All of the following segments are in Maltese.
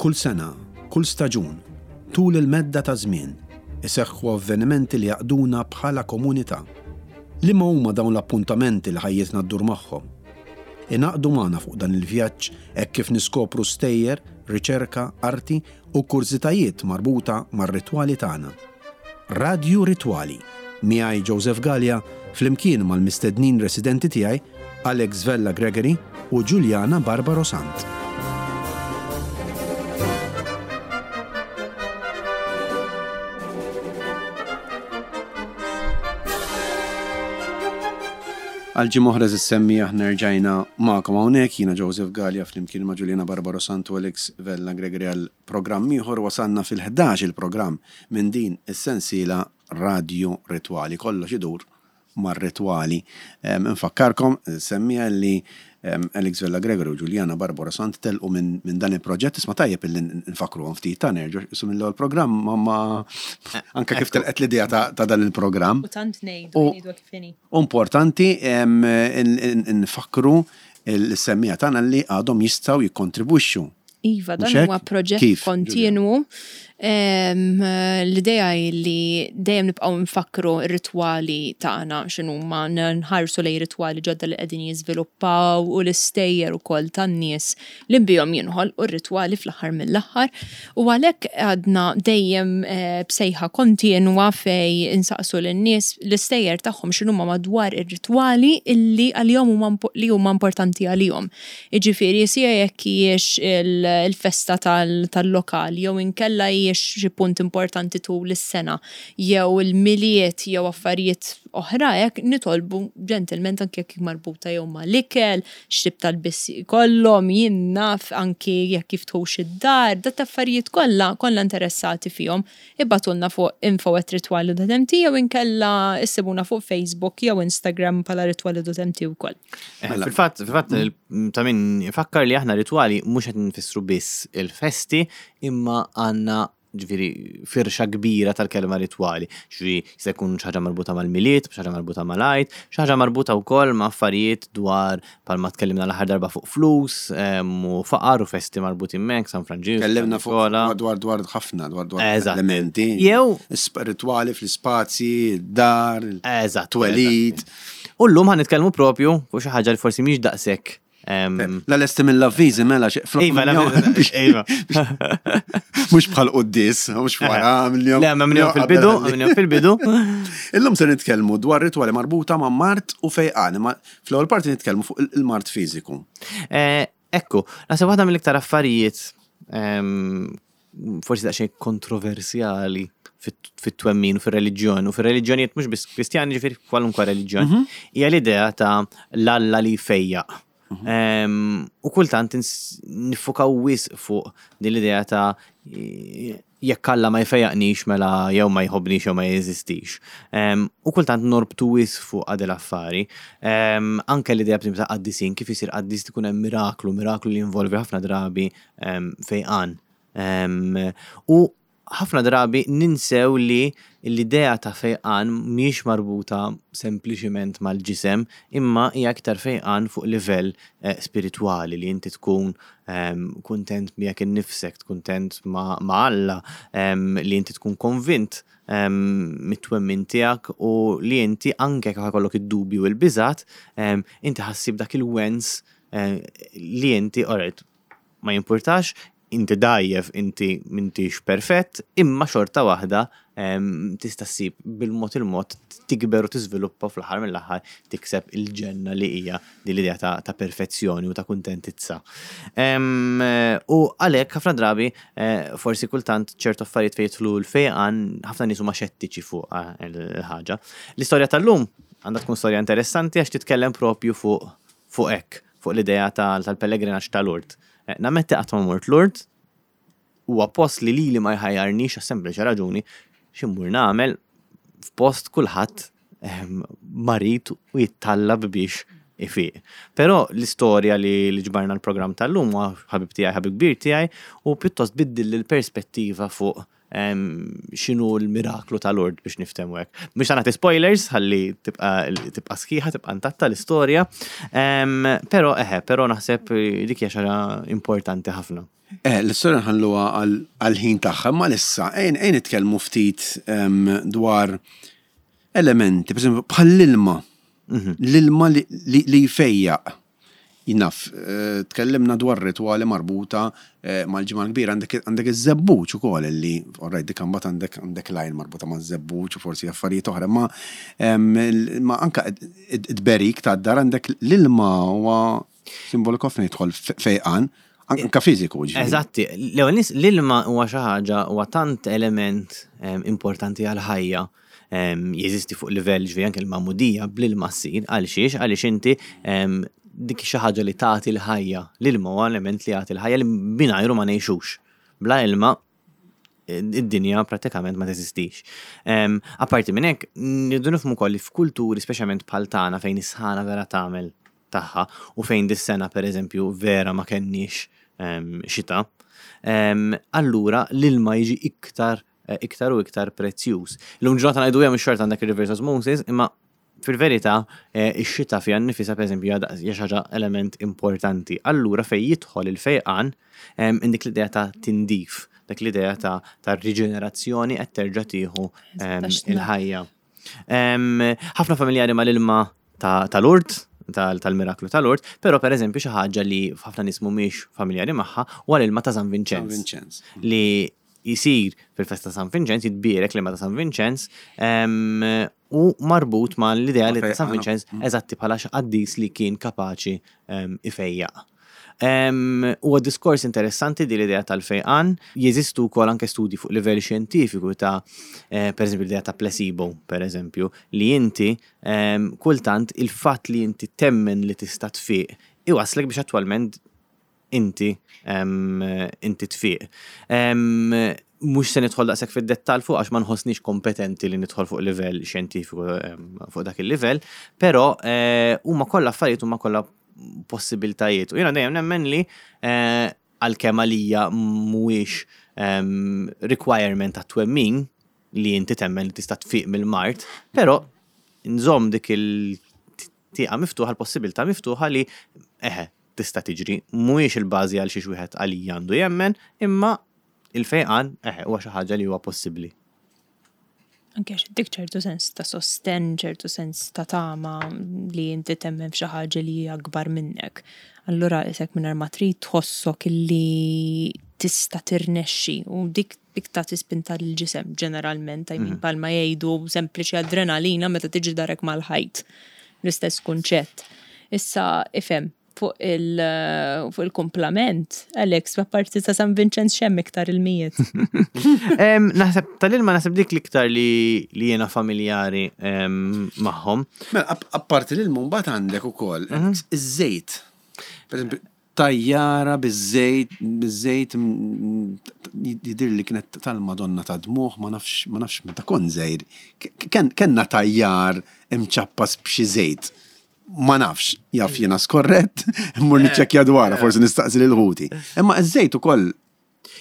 Kull sena, kull staġun, tul il-medda ta' żmien, iseħħu avvenimenti li jgħaqqduna bħala komunità. Liema huma dawn l-appuntamenti li ħajjitna ddur magħhom? Ingħaqdu magħna fuq dan il-vjaġġ hekk kif niskopru stejjer, riċerka, arti u kurżitajiet marbuta mar-ritwali tagħna. Radju Ritwali, miegħi Joseph Galea flimkien mal-mistednin residenti tiegħi Alex Vella Gregory u Juliana Barbaro Sant. Għal ġimgħa oħra żissemmi aħna rġajna magħkom hawnhekk, jiena Joseph Galea flimkien ma' Juliana Barbaro Sant u Alex Vella Gregory għal programm ieħor wasalna fil-11 il-programm minn din is-sensiela Radju Ritwali. Kollox idur mar-ritwali. Infakkarkom, semmija li Alex Vella Gregory u Juliana Barbara Sant telqu minn dan il-proġett. Isma' tajjeb illi nfakkruhom ftit ta' nerġgħu isu mill-ewwel programm ma ma anke kif telqet l-idea ta' dan il-programm. U tant ngħidu, ngħidu kif inhi. Importanti nfakkru l-semmiegħa tagħna li għadhom jistgħu jikkontribwixxu. Iva, dan huwa proġett kontinwu. L-idea hi li dejjem nibqgħu nfakkru r-ritwali tagħna x'inhuma, nħarsu lejn ritwali ġodda li qegħdin jiżviluppaw u l-istejjer ukoll tan-nies li bihom jinħolqu r-ritwali fl-aħħar mill-aħħar. U għalhekk għadna dejjem b'sejħa kontinwa fejn insaqsu lin-nies l-istejjer tagħhom x'inhuma madwar ir-ritwali illi għalihom huma li huma importanti għalihom. Jiġifieri sija jekk hijiex il-festa tal-lokal jew inkella hijiex xi punt importanti tul is-sena jew il-Milied jew affarijiet oħra hekk, nitolbu ġentilment anke jekk marbuta jew mal-ikel, x'tip ta' lbies jkollhom, jien naf anki jekk jiftħux id-dar, dat affarijiet kollha kollha interessati fihom. Ibagħtulna fuq info@ritwali.mt jew inkella issibuna fuq Facebook jew Instagram bħala ritwali.mt wkoll. Eh, mela. Fil-fatt, fil-fatt ta' min ifakkar li aħna ritwali mhux qed nfissru biss il-festi imma għandna ġifieri firxa kbira tal-kelma ritwali. Ġifieri jista' jkun xi ħaġa marbuta mal-Milied, xi ħaġa marbuta mal-Għid, xi ħaġa marbuta wkoll ma' affarijiet dwar Palma tkellimna l-aħħar darba fuq flus u faqar u festi marbutin mek, San Franġisku. Tkellimna fuq dwar dwar ħafna dwar dwar elementi. Jew ritwali fl-ispazji, dar, twelid. U llum ħan nitkellmu propju fuq xi ħaġa li forsi mhix daqshekk La lesti mill-avviżi mela xi Iva, iva. Mhux bħal quddis, mhux wara mill-jum. Le, ma minnhom fil-bidu, minnhom fil-bidu. Illum se nitkellmu dwar ritwali marbuta ma' mart u fejqan, imma Fl-ewwel parti nitkellmu fuq il-mard fiżiku. Eh, ekku, naħseb waħda mill-iktar affarijiet ehm, forsi daqsxejn kontroversjali fit-twemmin u fir-reliġjon u fir-reliġjonijiet mhux biss Kristjani ġifieri kwalunkwe reliġjon, mhm. hija l-idea ta' l-Alla li jfejjaq. Mhm. Ehm, u kultant nifukaw wisq fuq din l-idea ta' jekk Alla ma jfejjaqnix mela jew ma jħobbnix jew ma jeżistix. U kultant norbtu wisq fuq għad l-affari. Anke l-idea b'tim ta' qaddisin, kif isir qaddis tkun hemm miraklu, miraklu li jinvolvi ħafna drabi fejqan. U ħafna drabi ninsew li l-idea ta' fejqan mhijiex marbuta sempliċiment mal-ġisem, imma hija iktar fejqan fuq livell eh, spiritwali li inti tkun kuntent miegħek innifsek, kuntent ma' Alla, li inti tkun konvint mit-twemmin tiegħek u li inti anke jekk ikollok id-dubji u l-biżgħat, inti ħassib dak il-wens eh, li inti alright, ma jimpurtax, inti dgħajjef, inti m'intix perfett, imma xorta waħda tista' ssib bil-mod il-mod tikber u tiżviluppa fl-aħħar mill-aħħar tikseb il-ġenna li hija din l-idea ta', ta perfezzjoni u ta' kuntentizza. U għalhekk ħafna drabi eh, forsi kultant ċertu affarijiet fejn jidħlu l-fejqan ħafna nies huma xettiċi fuq eh, il-ħaġa. L-istorja tal-lum għandha tkun storja interessanti għax titkellem propju fuq fuq hekk, fuq l-idea tal-pellegrinaġġ ta' Lourdes. Eh, nammetti qatt ma mort Lourdes, huwa post li lili ma jħajjarnix għas sempliċi raġuni x'immur nagħmel f'post kulħadd ehm, marid u jittallab biex ifiq. Però l-istorja li ġbarna l-programm tal-lum huwa ħabib tiegħi, ħabib kbir tiegħi u pjuttost biddilli l-perspettiva fuq. x'inhu l-miraklu ta' Lourdes biex niftehmu hekk. Mhux ta' nagħti spoilers ħalli tibqa' tibqa' sħiħa, tibqa' intatta l-istorja. Però eħe, però naħseb dik hija xi ħaġa importanti ħafna. Eh, l-istorja nħalluha għall-ħin tagħha, imma issa ejn nitkellmu ftit dwar elementi, per bħall-ilma. Mhm. L-ilma li jfejjaq. Naf, tkellimna dwar ritwali marbuta mal-Ġimgħa l-Kbira, għandek iż-żebbuġ ukoll li, alright, dik imbagħad għandek għandek l-għajn marbuta maż-żebbuġ u forsi affarijiet oħra, imma imma anke it-tberik tad-dar għandek l-ilma huwa simboliku ħafna jidħol fejqan, anke fiżiku ġifieri. Eżatti, l-ewwel nies l-ilma huwa xi ħaġa huwa tant element importanti għall-ħajja jeżisti fuq livell ġifieri anke l-magħmudija bl-ilma ssir għal xiex għaliex inti dik xi ħaġa li tagħti l-ħajja. L-ilma huwa element li jagħti l-ħajja li mingħajru ma ngħixux. Bla ilma id-dinja pratikament ma teżistix. Apparti minn hekk, nirridu nifhmu wkoll li f'kulturi speċjalment bħal tagħna fejn is-sħana vera tagħmel tagħha u fejn dis-sena pereżempju vera ma kenniex xita, allura l-ilma jiġi iktar iktar u iktar prezzjuż. Illum ġurnata ngħidu hemm xorta għandek il-reverse osmosis, imma fil-verità eh, ix-xita fiha nnifisha pereżempju hija xi ħaġa element importanti. Allura fejn jidħol il-fejqan dik l-idea ta' tindif, dak l-idea ta' ta' riġenerazzjoni qed terġa' tieħu il-ħajja. Ħafna familjari mal-ilma ta' Lourdes, tal-miraklu ta' Lourdes, però per eżempju xi ħaġa li ħafna nies mhumiex familjari magħha huwa l-ilma ta' San Vinċenz. Li jsir fil-festa ta' San Vinċenz, jitbierek l-ilma ta' San Vinċenz, u marbut ma' l-idea li San Vinċenz mm. eżatti bħala xi qaddis li kien kapaċi ifejjaq. Huwa diskors interessanti di l-idea tal-fejqan, jeżistu wkoll anke studji fuq livell xjentifiku ta' eh, per eżempju l-idea ta' placebo, per eżempju, li inti kultant il-fatt li inti temmen li tista' tfiq iwaslek biex attwalment inti inti tfiq. Mhux se nidħol daqshekk fid-dettall fuq għax ma nħossnix kompetenti li nidħol fuq livell xjentifiku fuq dak il-livell, però eh, huma kollha affarijiet huma kollha possibiltajiet. U jiena dejjem nemmen li eh, għalkemm għalija mhuwiex requirement ta' twemmin li inti temmen li tista' tfiq mill-mard, però nżomm dik il-tieqa miftuħa, l-possibilità miftuħa li eħe, tista' tiġri. Mhuwiex il-bażi għal xiex wieħed għalija għandu jemmen, imma il-fejqan eħe huwa xi ħaġa li huwa possibbli. Anke għax dik ċertu sens ta' sostenn, ċertu sens ta' tama li inti temmen f'xi ħaġa li hija akbar minnek. Allura isek mingħajr ma trid tħossok li tista' tirnexxi u dik dik tagħti spinta lill-ġisem ġeneralment, I mean mhm. palma jgħidu sempliċi adrenalina meta tiġi darek mal-ħajt. L-istess kunċett. Issa ifhem fuq il-kumplament, Alex, apparti ta' San Vincenz xemm iktar il-mijiet. Naħseb tal-ilma naħseb dik l-iktar li jiena familjari magħhom. Mela, apparti l-ilma mbagħad għandek ukoll mhm. iż-żejt. Per eżempju, tajjara biż-żejt, biż-żejt jidhirli li kienet tal-Madonna ta' Dmugħ, ma nafx, ma nafx meta kont żgħir. Kellna tajjar imċappas b'xi żejt. Ma nafx, jaf jiena skorrett, immur niċċekkja dwarha, forsi nistaqsi lil ħuti. Imma ż-żejt ukoll.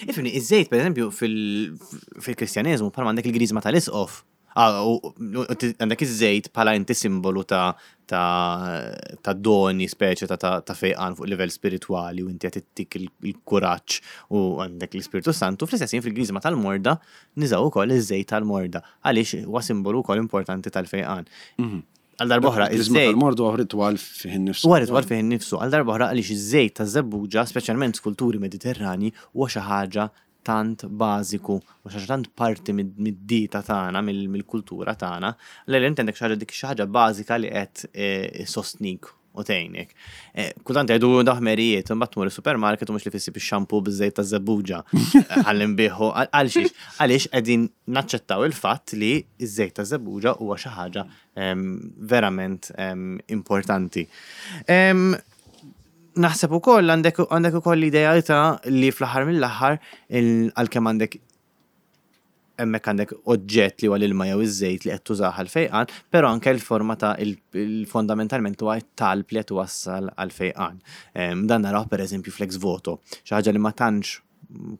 Ifhimni, iż-żejt pereżempju fil-Kristjaneżmu bħalma għandek il-griżma tal-isqof, Ah, u għandek iż-żejt bħala inti simbolu ta' ta' ta' doni speċi ta' ta' fejqan fuq livell spiritwali u inti qed ittik il-kuraġġ u għandek l-Ispirtu Santu, fl-istess ħin fil-griżma tal-morda niżaw ukoll iż-żejt tal-morda għaliex huwa simbolu wkoll importanti tal-fejqan. Mhm. Għal darba oħra, iż-żejt tal-morda huwa ritwal fih innifsu. Huwa ritwal fih innifsu. Għal darba oħra għaliex iż-żejt taż-żebbuġa, speċjalment f'kulturi Mediterranji, huwa xi ħaġa tant bażiku u xi ħaġa tant parti mid-dieta tagħna, mill-kultura tagħna, li inti għandek xi ħaġa dik xi ħaġa bażika li qed eh, sostnik u tgħinek. Eh, kultant jgħidu daħmerijiet, imbagħad tmur is-supermarket u mhux li fissib ix-xampu biż-żejt taż-żebbuġa. Ħalli nbieħu għal xiex. Għaliex qegħdin naċċettaw il-fatt li ż-żejt taż-żebbuġa huwa xi ħaġa ehm, verament ehm, importanti. Ehm, Naħseb ukoll għandek għandek ukoll l-idea ta' li fl-aħħar mill-aħħar għalkemm għandek hemmhekk għandek oġġett li huwa l-ilma jew iż-żejt li qed tużah għall-fejqan, però anke l-forma ta' fondamentalment huwa t-talb li qed iwassal għall-fejqan. Dan narawh pereżempju fl-ex voto, xi ħaġa li ma tantx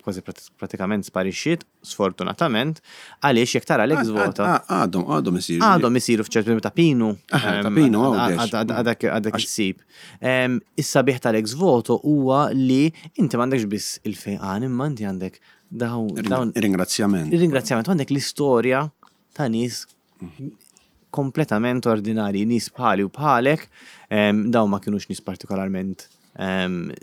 kważi pratikament sparixxiet, sfortunatament, għaliex jekk tara l-ex voto. Għadhom, għadhom isiru. Għadhom isiru f'ċertu ta' pinu. Ta' pinu, għadek għadek issib. Is-sabiħ tal-ex voto huwa li inti m'għandekx biss il-fejqan imma inti għandek dawn. Ringrazzjament. Ringrazzjament, għandek l-istorja ta' nies kompletament ordinari, nies bħali u bħalek, dawn ma kinux nies partikolarment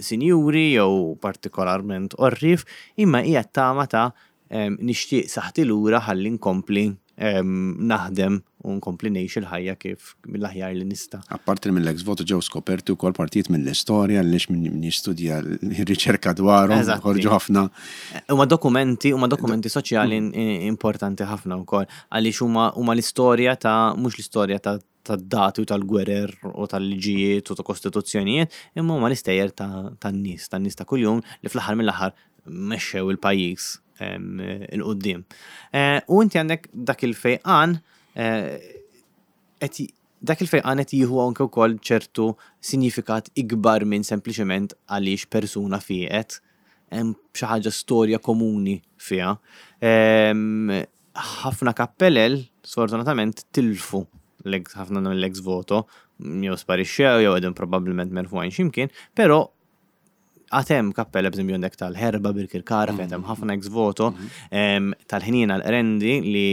sinjuri jew partikolarment orrif, imma hija tama ta' nixtieq saħti lura ħalli nkompli naħdem u nkompli ngħix il-ħajja kif mill-aħjar li nista'. Apparti mill-ex voto ġew skoperti wkoll partijiet mill-istorja li min jistudja r-riċerka dwarhom ħorġu ħafna. Huma dokumenti, huma dokumenti soċjali importanti ħafna wkoll għaliex huma huma l-istorja ta' mhux l-istorja ta' tad-dati u tal-gwerer u tal-liġijiet u ta' kostituzzjonijiet, imma huma l-istejjer tan-nies, tan-nies ta' kuljum li fl-aħħar mill-aħħar mexxew il-pajjiż 'il quddiem. U inti għandek dak il-fejqan qed dak il-fejqan qed jieħu anke wkoll ċertu sinjifikat ikbar minn sempliċement għaliex persuna fieqet, hemm xi ħaġa storja komuni fiha. Ħafna kappelel sfortunatament tilfu ħafna mill-ex voto, jew sparixxew jew qegħdin probabbilment merfugħin x'imkien, però Għad hemm kappella b'eżempju għandek tal-Ħerba Birkirkara fejn hemm ħafna ex voto, tal-Ħniena l-Qrendi li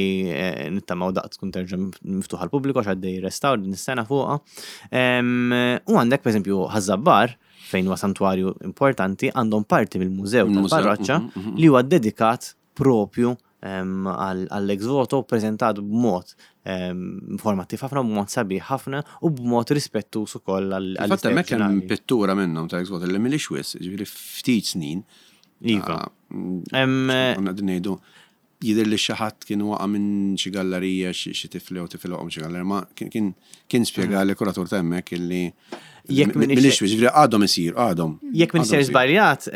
nittamaw daqt tkun terġa' miftuħa għall-pubbliku għax għaddej restawr din is-sena fuqha. U għandek pereżempju Ħaż-Żabbar fejn huwa santwarju importanti għandhom parti mill-mużew tal-parroċċa li huwa ddedikat propju għall-ex voto ppreżentat b'mod informattiv ħafna, b'mod sabiħ ħafna u b'mod rispettuż ukoll għall Fatt hemmhekk hemm pittura minnhom ta' ex voto li mhilix wisq, jiġifieri ftit snin. Iva. Konna qegħdin ngħidu jidher li xi ħadd kien waqa' minn xi gallerija, xi tifel jew tifel waqa' minn xi gallerija, ma kien spjegali kuratur ta' hemmhekk illi Jekk minix. Ġifieri għadhom isir, għadhom. Jekk minix ser żbaljat,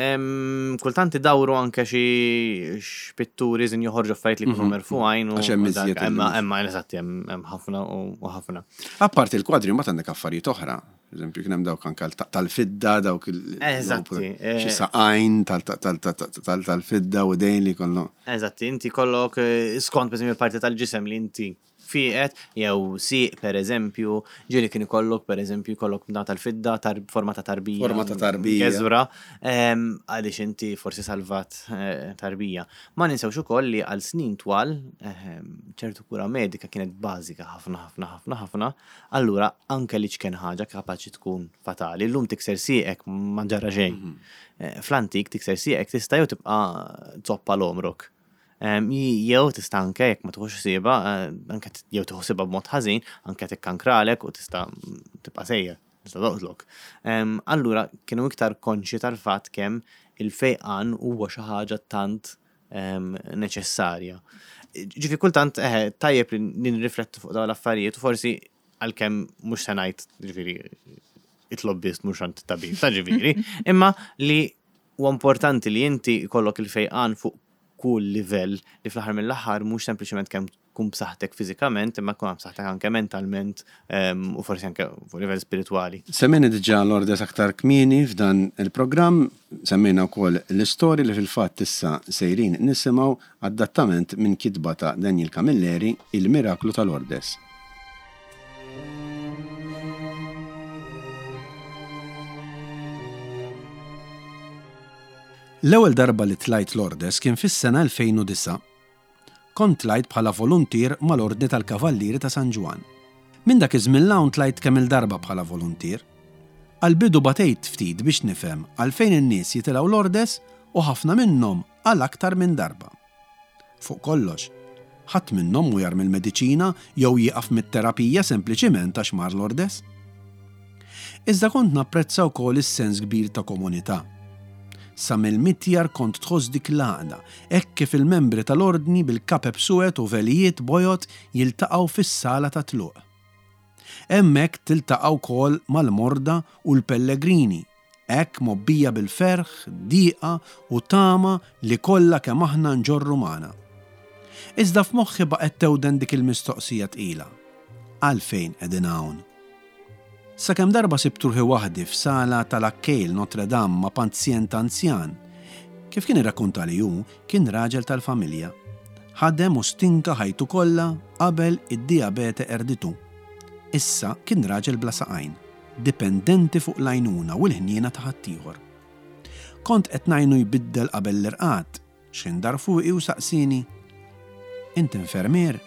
kultant idawru anke xi pitturi żin joħorġu affarijiet li jkunu mhm. merfugħin. Għax hemm iżjed. Imma hemm eżatt hemm ħafna u ħafna. Apparti l-kwadri mbagħad għandek affarijiet oħra. Eżempju, kien hemm dawk anke tal-fidda, dawk il Eżatti. Eh. Xi saqajn tal-fidda u dejn li kollu. Eżatti, inti kollok eh, skont pereżempju parti tal-ġisem li inti fieqet, jew sieq pereżempju, ġieli kien ikollok pereżempju jkollok bna tal-fidda tar forma ta' tarbija. Forma ta' tarbija. Geżwra, għaliex inti forsi salvat tarbija. Ma ninsewx ukoll li għal snin twal ċertu kura medika kienet bażika ħafna ħafna ħafna ħafna, allura anke l-iċken ħaġa kapaċi tkun fatali. Illum tikser sieqek ma ġara xejn. Fl-antik tikser sieqek tista' jew tibqa' zoppa l-għomrok. Jew tista' anke jekk ma tieħux ħsiebha, anke jew tieħu ħsiebha b'mod ħażin, anke tikkankralek u tista' tibqa' sejjer, tista' toqtlok. Allura kienu iktar konxji tal-fatt kemm il-fejqan huwa xi ħaġa tant neċessarja. Ġifi kultant eħe tajjeb li nirriflettu fuq dawn l-affarijiet u forsi għalkemm mhux se ngħid ġifieri itlob biss mhux għand tabib ta' ġifieri, imma li Huwa importanti li inti jkollok il-fejqan fuq kull livell li fl-aħħar mill-aħħar mhux sempliċement kemm tkun b'saħħtek fiżikament imma tkun b'saħħtek anke mentalment u forsi anke fuq livell spiritwali. Semmejna diġà Lourdes aktar kmieni f'dan il-programm, semmejna wkoll l-istorja li fil-fatt issa sejrin nisimgħu adattament minn kitba ta' Daniel Camilleri, Il-Miraklu ta' Lourdes. L-ewwel darba li tlajt Lourdes kien fis-sena 2009. Kont tlajt bħala voluntier mal-Ordni tal-Kavallieri ta' San Ġwann. Minn dak iż-żmien 'l hawn tlajt kemm-il darba bħala voluntier. Għall-bidu batejt ftit biex nifhem għalfejn in-nies jitilgħu Lourdes u ħafna minnhom għal aktar minn darba. Fuq kollox, ħadd minnhom mhu jarmi l-mediċina jew jieqaf mit-terapija sempliċiment għax mar Lourdes. Iżda kont napprezza wkoll is-sens kbir ta' komunità. Sa mill-mitjar kont tħoss dik l-għaqda, hekk kif il-membri tal-Ordni bil-kapep suwed u velijiet bojod jiltaqgħu fis-sala tat-tluq. Hemmhekk tiltaqa' wkoll mal-morda u l-pellegrini, hekk mgħobbija bil-ferħ, dieqa u tama li kollha kemm aħna nġorru magħna. Iżda f'moħħi baqgħet tewden dik il-mistoqsija tqila, Għalfejn qegħdin hawn? Sakemm darba sibt ruħi waħdi f'sala tal-Accueil Notre Dame ma' pazjent anzjan. Kif kien irrakkuntali hu, kien raġel tal-familja. Ħadem u stinka ħajtu kollha qabel id-dijabete qerditu. Issa kien raġel bla saqajn, dipendenti fuq l-għajnuna u l-ħniena ta' ħaddieħor. Kont qed ngħinu jbiddel qabel l-irqad, x'ħin dar fuqi u saqsieni, Int infermier?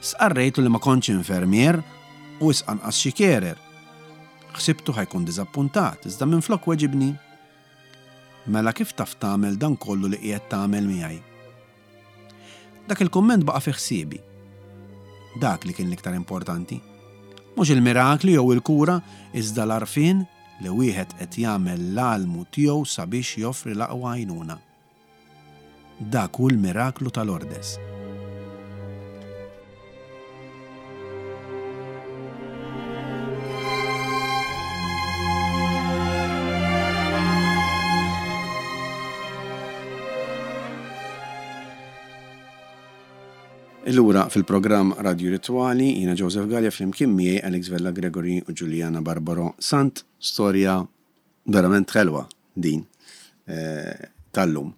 Stqarrejtlu li ma kontx infermier u wisq anqas xi carer. Ħsibtu ħa jkun diżappuntat, iżda minflok weġibni, Mela kif taf tagħmel dan kollu li qiegħed tagħmel miegħi? Dak il-kumment baqa' fi ħsiebi. Dak li kien l-iktar importanti. Mhux il-mirakli jew il-kura, iżda l-għarfien li wieħed qed jagħmel l-almu tiegħu sabiex joffri l-aqwa għajnuna. Dak hu l-miraklu ta' Lourdes. Illura fil-programm Radio Ritwali, jiena Joseph Galea flimkien miegħi Alex Vella Gregory u Juliana Barbaro Sant, storja verament ħelwa din eh, tal-lum.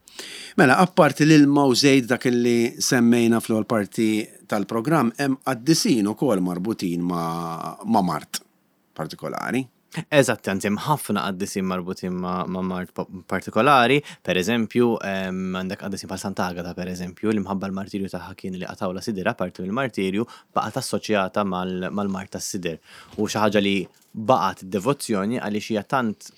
Mela, apparti l-ilma u żejt dak li semmejna fl-ewwel parti tal-programm, hemm qaddisin ukoll marbutin ma', ma mard partikolari. Eżatt, anzi hemm ħafna qaddisin marbutin ma' mard partikolari, per eżempju, għandek qaddisin bħal Sant'Agata per eżempju, li mħabba l-martirju tagħha kien li qatgħulha sidirha parti mill-martirju baqgħet assoċjata mal-mard tas-sider. U xi ħaġa li baqgħet id-devozzjoni għaliex hija tant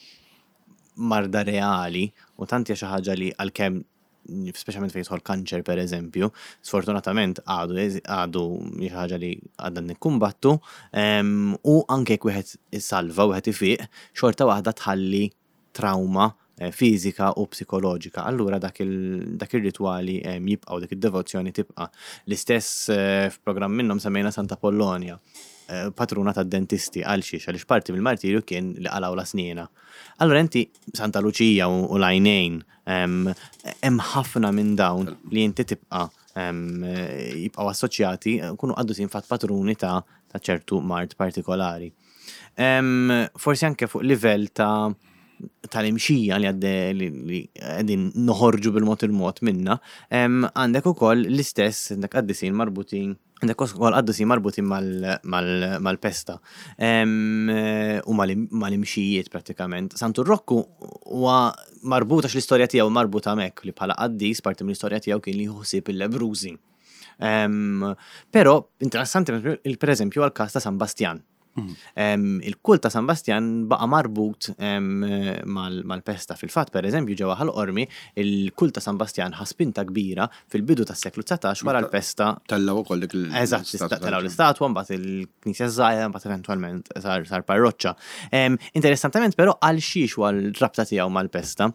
marda reali u tant hija xi ħaġa li għalkemm speċjalment fejn jidħol kanċer per eżempju, sfortunatament għadu għadu xi ħaġa li għadna nikkumbattu, u anke jekk wieħed isalva, wieħed ifiq, xorta waħda tħalli trauma eh, fiżika u psikoloġika. Allura dak ir-ritwali jibqgħu, dik id-devozzjoni tibqa'. L-istess eh, f'programm minnhom semmejna Santa Pollonia, eh, patruna tad-dentisti għal xiex għaliex parti mill-martirju kien li qalgħu la sniena. Allura inti Santa Luċija u l-għajnejn Hemm ħafna minn dawn li inti tibqa' jibqgħu assoċjati, kunu qaddusin fatt patruni ta' ċertu mard partikolari. Forsi anke fuq livell ta' tal-imxija li għadde li qegħdin noħorġu bil-mod il-mod minna, għandek ukoll l-istess għandek qaddisin marbutin Għandek ukoll qaddusin marbutin mal-pesta u mal-imxijiet prattikament. Santu Rokku huwa marbut għax l-istorja tiegħu marbuta hemmhekk li bħala qaddis parti mill-istorja tiegħu kien li jieħu ħsieb il-lebbrużi. Però interessanti pereżempju għall-każ ta' San Bastjan. Il-kult ta' San Bastjan baqa' marbut mal-pesta. Fil-fatt, per eżempju, ġewwa Ħal Qormi, il-kult ta' San Bastjan ħa spinta kbira fil-bidu tas-seklu 19 wara l-pesta. Tellgħu ukoll dik l Eżatt, tellgħu l-istatwa, mbagħad il-knisja żgħira, mbagħad eventwalment sar parroċċa. Interessantement però għal xiex huwa l-rabta tiegħu mal-pesta?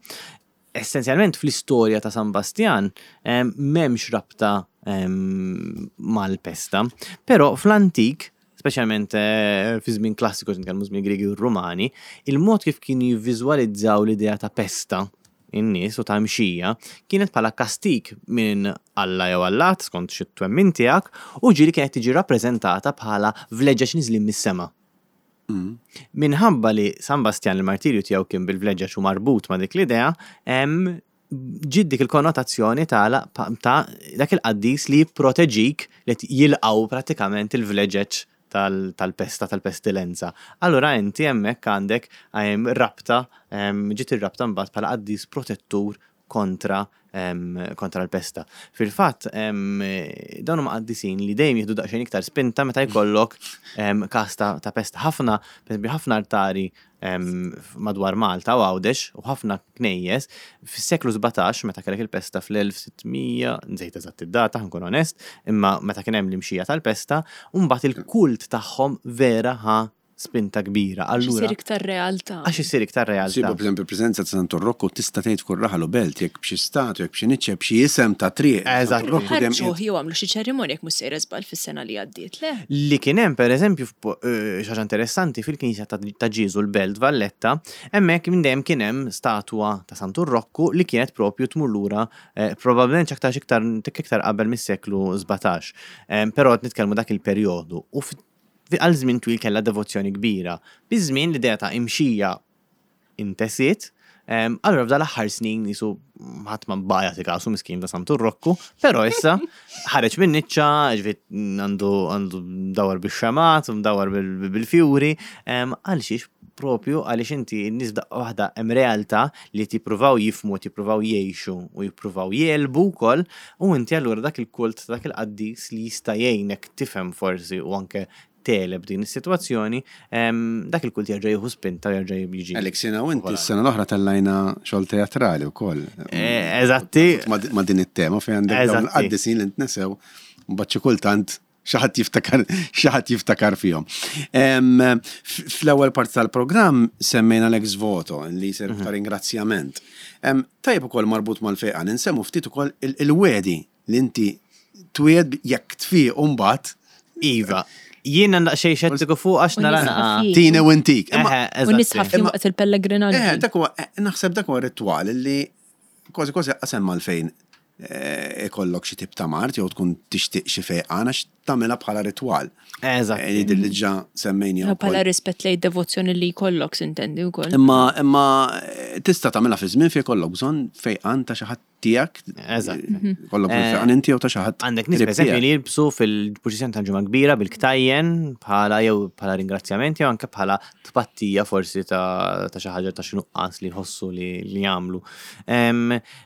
Essenzjalment fl-istorja ta' San Bastjan m'hemmx rabta mal-pesta, però fl-antik, speċjalment eh, fi żmien klassiku nitkellmu żmien Griegi u Rumani, il-mod kif kienu jivviżwalizzaw l-idea ta' pesta in-nies u ta' mxija kienet bħala kastik minn Alla jew Allat skont xi twemmin tiegħek u ġieli kienet tiġi rappreżentata bħala vleġġeġ niżlin mis-sema. Minħabba li San Bastjan il-martirju tiegħu kien bil-vleġġaġ u marbut ma' dik l-idea, ġiet dik il-konnotazzjoni ta' dak il-qaddis li jipproteġik li qed jilqgħu prattikament il-vleġeġ tal-pesta, tal-pestilenza. Allura inti hemmhekk għandek rabta, ġiet ir-rabta mbagħad bħala qaddis protettur kontra kontra l-pesta. Fil-fatt, dawn huma qaddisin li dejjem jieħdu daqsxejn iktar spinta meta jkollok każ ta' pesta. Ħafna, pereżempju, ħafna altari madwar Malta u Għawdex u ħafna knejjes fis-seklu 17 meta kellek il-pesta fl-1600, nżejt eżatt id-data, ħankun onest, imma meta kien hemm l-imxija tal-pesta, u mbagħad il-kult tagħhom vera ħa spinta kbira. Allura. Għax isir iktar realtà. Għax isir iktar realtà. Sibu per preżenza ta' Santu Rokku tista' tgħid f'kull raħal u belt jekk b'xi statwa, jekk b'xi niċċa, b'xi isem ta' triq. Eżatt. Ħarġuh jew għamlu xi ċerimonja jekk mhux sejra żball fis-sena li għaddiet, le? Li kien hemm pereżempju xi ħaġa interessanti fil-knisja ta' Ġieżu l-Belt Valletta, hemmhekk minn dejjem kien hemm statwa ta' Santu Rokku li kienet propju tmur lura probabbilment x'aktarx iktar iktar qabel mis-seklu 17. Però qed nitkellmu dak il-perjodu. U Għal żmien twil kellha devozzjoni kbira. Biż-żmien l-idea ta' imxija intesiet, Allura f'dal aħħar snin jisu ħadd ma baqa' jagħti kasu miskin ta' Santu Rokku, però issa ħareġ minn niċċa, ġifieri għandu għandu mdawwar bix-xemat, mdawwar bil-fjuri, għal xiex propju għaliex inti n-nies f'daqqa waħda hemm realtà li qed jippruvaw jifhmu, qed jippruvaw jgħixu u jippruvaw jegħlbu wkoll u inti allura dak il-kult ta' dak il-qaddis li jista' jgħinek tifhem forsi u anke tegħleb din is-sitwazzjoni, dak il-kult jerġa' jieħu spinta u jerġa' jiġi. Alex, jiena u inti s-sena l-oħra tellajna xogħol teatrali wkoll. Eh, eżatti. Ma' din it-tema fejn għandek dawn il-qaddisin li ntnesew, mbagħad xi kultant xi ħadd jiftakar xi ħadd jiftakar fihom. Fl-ewwel parti tal-programm semmejna l-ex voto li jsir ta' ringrazzjament. Tajjeb ukoll marbut mal-fejqan insemmu ftit ukoll il-wegħdi Li inti twiegħed jekk tfieq u mbagħad. Iva. Jiena daqsxejn xettiku fuq għax nara naqa. Tini u intik. U nisħaf waqt il-pellegrinaġġ. Eh, dak huwa eh, naħseb dak huwa ritwal li kważi kważi qasem għalfejn eh, ikollok xi tip ta' mart jew tkun tixtieq xi fejqan għax tagħmilha bħala ritwal. Eżatt. Jidher li ġa semmejni. Bħala rispett lejn devozzjoni li jkollok sintendi wkoll. Imma imma tista' tagħmilha fi żmien fejn jkollok bżonn fejqan ta' xi ħadd tiegħek. Eżatt. Mhm. Kollok eh, fejqan inti jew ta' xi ħadd. Għandek nies pereżempju li jilbsu fil-purċissjoni tal-ġimgħa kbira bil-ktajjen bħala jew bħala ringrazzjament jew anke bħala tpattija forsi ta' xi ħaġa ta' xi nuqqas li jħossu li jagħmlu.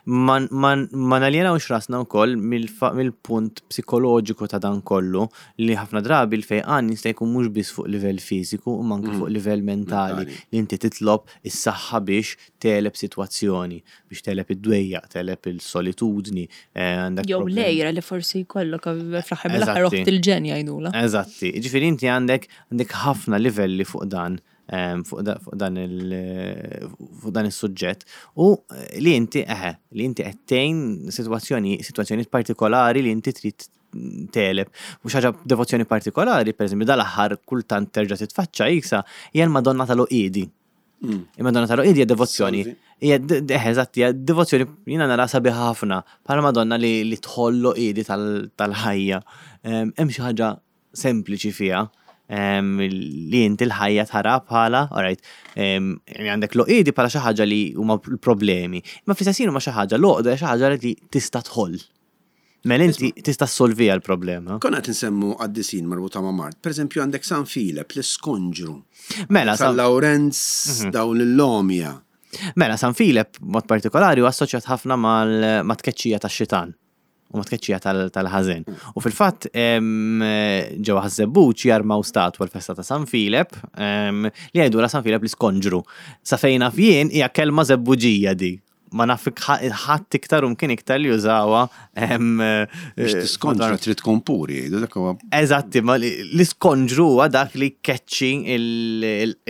Ma naljenawx rasna wkoll mill-punt psikoloġiku ta' dan kollu li ħafna drabi l-fejqan jista' jkun mhux biss fuq livell fiżiku imma anke mm. fuq livell mentali li inti titlob is-saħħa biex tegħleb sitwazzjoni, biex tegħleb id-dwejjaq, tegħleb il-solitudni. Eh, għandek Jew lejra li forsi jkollok eh, fl-aħħar mill-aħħar oħt il-ġen jgħidula. Eżatti. Ġifieri inti għandek għandek ħafna livelli fuq dan ehm, fuq dan il fuq dan is-suġġett u eh, li inti eħe, li inti qed tgħin sitwazzjoni sitwazzjonijiet partikolari li inti trid tegħleb. U xi ħaġa devozzjoni partikolari, pereżempju dal-aħħar kultant terġa' titfaċċa jisa hija l-Madonna tal-Oqiedi. Mm. Il-Madonna tal-Oqid hija devozzjoni. Hija eh, eżatt, hija devozzjoni jiena nara sabiħa ħafna bħala Madonna li, li tħoll oqidi tal-ħajja. Hemm xi ħaġa sempliċi fiha li inti l-ħajja tara bħala, alright, għandek l-oqidi bħala xi ħaġa li huma l-problemi. Imma fl-istess huma xi ħaġa l-oqda xi ħaġa li tista' tħoll. Mela inti tista' ssolviha l-problema. Konna qed insemmu qaddisin marbuta ma' mard. Pereżempju għandek San Filep, l-Iskonġru. Mela San Lawrenz, mhm. dawn l-Lomja. Mela San Filep mod partikolari huwa assoċjat ħafna ma' tkeċċija tax-xitan u ma' tkeċċija tal-ħażen. U fil-fatt ġewwa Ħaż-Żebbuġ jarmaw statwa l-festa ta' San Filep li jgħidulha San Filep l-Iskonġru. Sa fejn naf jien hija kelma Żebbuġija di. Ma naf ħadd iktar u mkien iktar li jużawha. Biex tiskonġra trid tkun puri, jgħidu dak huwa. Eżatti, ma l-iskonġru huwa dak li jkeċċi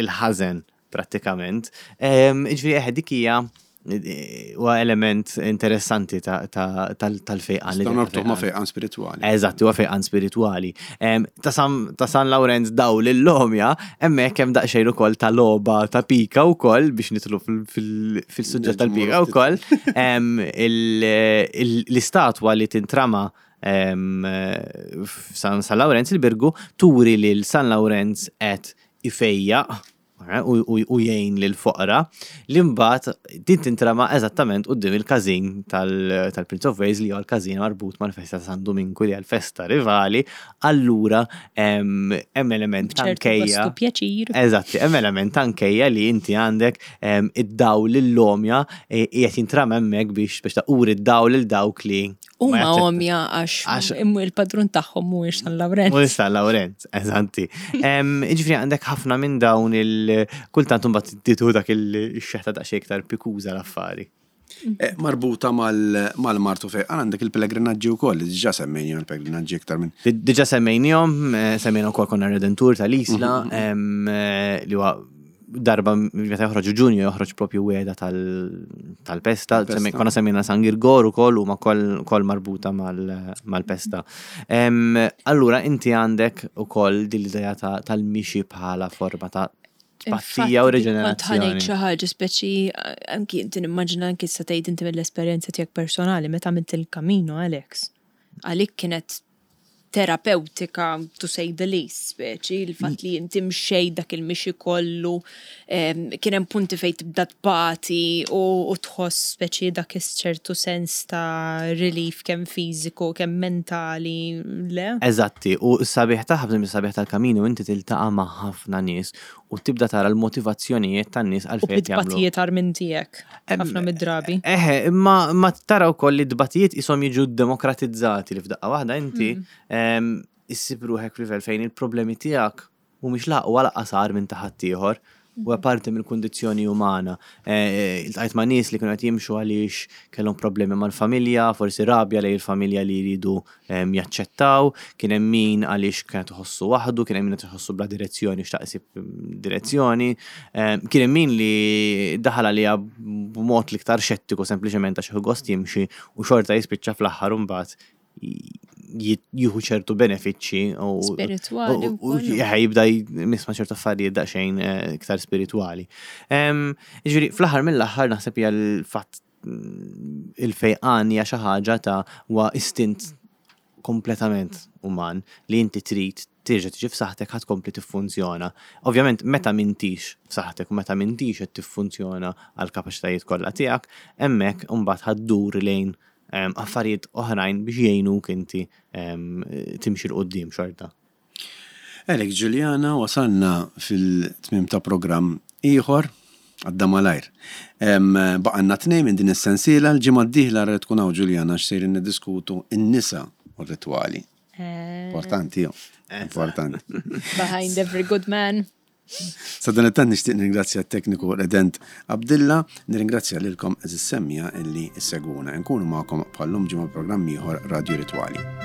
il-ħażen prattikament. Ġifieri eħe dik hija huwa element interessanti tal-fejqan. Nistgħu norbtuh ma' fejqan spiritwali. Eżatt, huwa fejqan spiritwali. Ta' San Lawrenz dawl il-lomja, hemmhekk hemm daqsxejn ukoll ta' logħba ta' pika wkoll biex nidħlu fil-suġġett tal-pika wkoll. L-istatwa li tintrama f'San Lawrenz il-Birgu turi lil San Lawrenz qed ifejjaq u jgħin lill-foqra, li mbagħad din tintrama eżattament quddiem il-każin tal-Prince of Wales li huwa l-każin marbut mal-festa ta' San Duminku li hija l-festa rivali, allura hemm element ta' nkejja. pjaċir. Eżatti, hemm element ta' nkejja li inti għandek id-dawl lill-għomja qiegħed jintrama hemmhekk biex biex taquri d-dawl lil dawk li Huma għomja għax il-padrun tagħhom mhuwiex San Lawrenz. Mhuwiex San Lawrenz, eżanti. Jiġifieri għandek ħafna minn dawn il-kultant imbagħad tieħu dak il-xeħta daqsxejn iktar pikuża l-affari. Eh, marbuta mal-martu fejqan għandek il-pellegrinaġġi wkoll, li diġà semmejnihom il-pellegrinaġġi iktar minn. Diġà semmejnihom, eh, semmejna wkoll konna Redentur tal-Isla, mhm. eh, li huwa darba meta joħroġ Ġunju joħroġ propju weda tal-pesta, konna semmejna San Girgor ukoll huma koll marbuta mal-pesta. Allura inti għandek ukoll din l-idea tal-mixi bħala forma ta' tpattija u riġenerazzjoni. Kont xi ħaġa speċi anki inti nimmaġina anki sa tgħid inti mill-esperjenza tiegħek personali meta għamilt il-Camino Alex. Għalik kienet terapewtika to say the least, speċi, il-fatt li inti mxejt dak il-mixi kollu, kien hemm punti fejn tibda tbati u tħoss speċi dak ċertu sens ta' relief kemm fiżiku, kemm mentali, le? Eżatti, u s-sabiħ tagħha, b'eżempju s-sabiħ tal-Camino, inti tiltaqa' ma' ħafna nies u tibda tara l-motivazzjonijiet tan-nies għalfejn qed jagħmlu. U bit-tbatijiet agħar minn tiegħek, ħafna mid-drabi. Eħe, imma ma tara wkoll li t-tbatijiet qishom jiġu demokratizzati li f'daqqa waħda inti issib ruħek f'livell fejn il-problemi tiegħek mhumiex la aqwa lanqas agħar minn ta' ħaddieħor. Huwa parti mill-kundizzjoni umana. Iltqajt ma' nies li kienu qed jimxu għaliex kellhom problemi mal-familja, forsi rabja lejn il-familja li jridu jaċċettaw, kien hemm min għaliex kien qed iħossu waħdu, kien hemm min qed iħossu bla direzzjoni xtaq isib direzzjoni, kien hemm min li daħal għaliha b'mod l-iktar xettiku sempliċement għax jieħu gost jimxi u xorta jispiċċa fl-aħħar imbagħad jieħu ċertu benefiċċji u Spiritwali u jibda jmisma' ċertu affarijiet daqsxejn eh, iktar spiritwali. Ġifieri fl-aħħar mill-aħħar naħseb hija l-fatt mm, il-fejqan hija xi ħaġa ta' huwa istint kompletament uman li inti trid terġa' tiġi f'saħħtek ħa tkompli tiffunzjona. Ovvjament meta m'intix f'saħħtek u meta m'intix qed tiffunzjona għall-kapaċitajiet kollha tiegħek, hemmhekk imbagħad ħa ddur lejn affarijiet oħrajn biex jgħinuk inti timxi 'l quddiem xorta. Alex Juliana wasalna fil-tmiem ta' programm ieħor, għadda malajr. Baqgħalna tnejn minn din is-sensiela, l-ġimgħa d-dieħla ara li tkun hawn Juliana għax sejrin niddiskutu n-nisa u r-ritwali. Importanti, importanti. Behind every good man. Sadanittant nixtieq nirringrazzja t-tekniku Redent Abdilla, nirringrazzja lilkom għeżież semmiegħa illi ssegwuna. Inkunu magħkom bħal-lum ġimgħa bi programm ieħor Radju Ritwali.